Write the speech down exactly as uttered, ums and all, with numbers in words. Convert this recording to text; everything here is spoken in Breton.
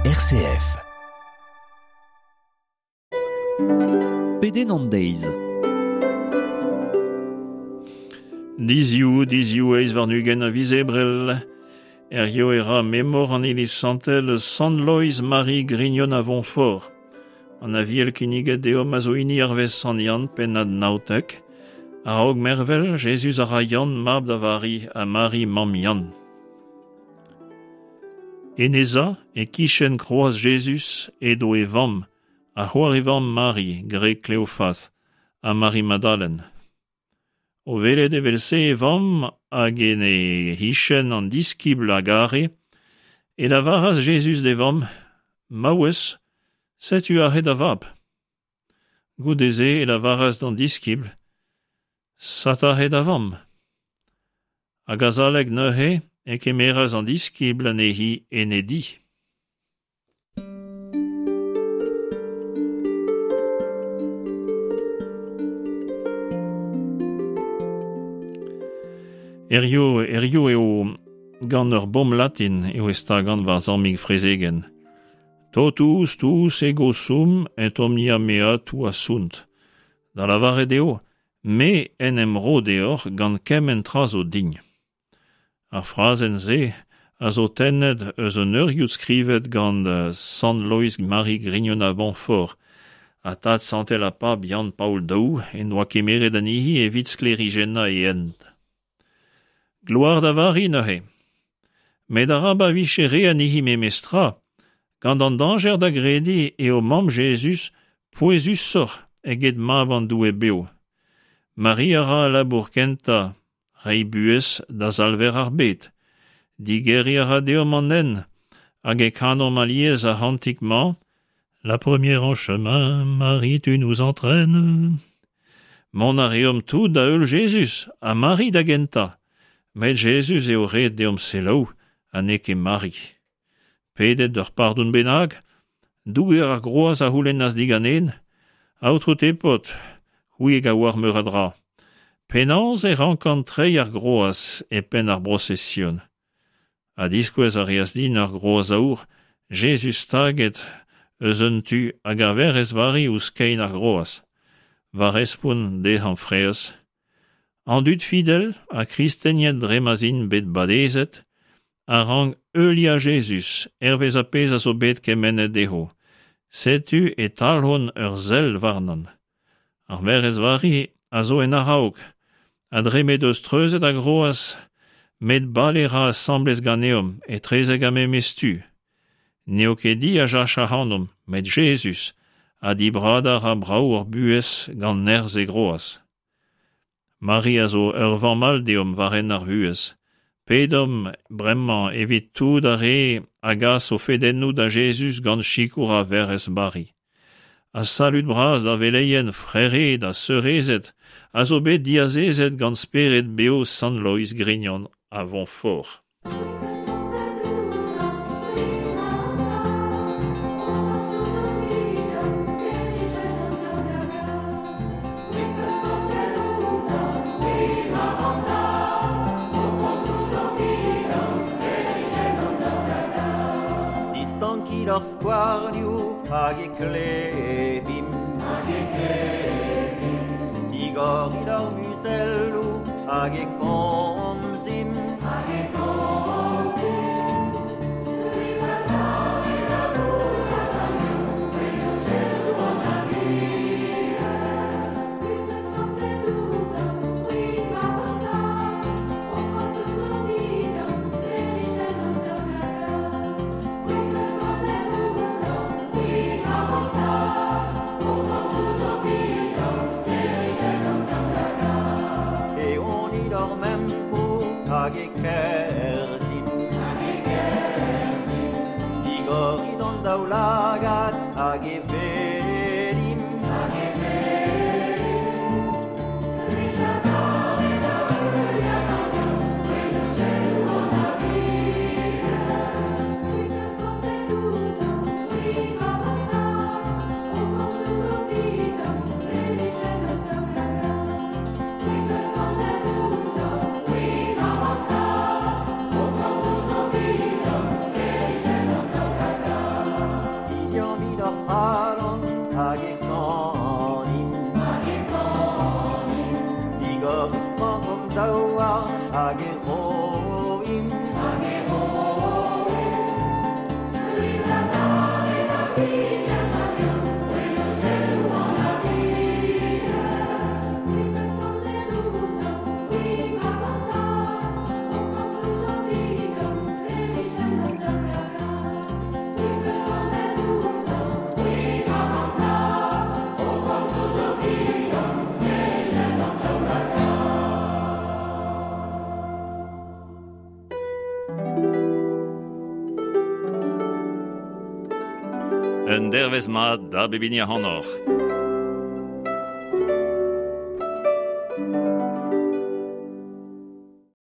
R C F. Pedenn an deiz. Diziou, diziou eizh warn-ugent a viz Ebrel. Hirio e ra memor an iliz santel Sant Loeiz Mari Grignon a Vontfort. An aviel kinniget deomp a zo hini hervez Sant Yann, pennad naontek. A-raok mervel, Jezuz a ra Yann mab da Vari ha Mari mamm Yann. En e za, e-kichen kroaz Jezuz, edo e vamm, ha c'hoar e vamm Mari, gwreg Kleofaz, ha Mari Madalen. O welet evel-se e vamm hag en he c'hichen an diskibl a gare, e lavaras Jezuz d'e vamm, Maouez, setu aze da vab. Goude-se e lavaras d'an diskibl, Sed aze da vamm. Hag azalek neuze e kemeras an diskibl anezhi en e di. Hirio, hirio eo gant ur bomm latin eo e stagan va zammig frezegenn. Totus tuus ego sum et omnia mea tua sunt. Da lavaret eo, me en em ro deoc'h gant kement tra zo din. Ar frazenn-se a zo tennet eus un eurioù skrivet gant Sant Loeiz Mari Grignon a Vontfort, ha tad santel ar pab Yann Paol Daou en doa kemeret anezhi evit sklêrijennañ e hent. Gloar da Vari neuze. Met arabat vije re anezhi memestra, gant an dañjer da grediñ eo mamm Jezuz pouezusoc'h eget mab an Doue bev. Mari a ra al labour kentañ, reiñ buhez da salver ar bed. Digeriñ a ra deomp an hent, hag e kanomp alies ar c'hantik-mañ, La première en chemin, Marie, tu nous entraînes. Mont a reomp tout da heul Jezuz, ha Mari da gentañ. Met Jezuz eo ret deomp selaou, ha n'eo ket Mari. Pedet d'ur pardon bennak, douger ar groaz a c'houlennas diganen, Aotrou Tepot, c'hwi hag a oar meur a dra. Penaos e rankan treiñ ar groaz e penn ar brosesion. Ha diskouez a reas din ur groaz aour, Jezuz staget eus un tu hag ar Werc'hez Vari ouzh kein ar groaz. Va respont dezhañ fraezh. An dud fidel ha kristenien dre ma'z int bet badezet a rank heuliañ Jezuz hervez ar pezh a zo bet kemennet dezho. Setu e talc'hont ur sell warnon. Ar Werc'hez Vari a zo en a-raok, ha dre m'he deus treuzet ar groaz, met bale ra asambles ganeomp etrezek ar memes tu. N'eo ket hi a jach ac'hanomp, met Jezuz, ha dibradañ a ra brav hor buhez gant nerzh e groaz. Mari a zo ur vamm all deomp war hent ar vuhez. Pedomp bremañ evit tout ar re a gas o fedennoù da Jezuz gant sikour ar Werc'hez Vari. Ha salud bras da veleien, frered ha seurezed a zo bet diazezet gant spered bev Sant Loeiz Grignon a Vontfort. Distankit hor skouarnioù hag e klevimp. Hag e klevimp. Digorit hor muzelloù hag e komzimp. Hag e komzimp. Hag e kerzhimp. Hag e kerzhimp. Digorit hon daoulagad hag e welimp. Hag e welimp. Un dervez mat da bep hini ac'hanoc'h.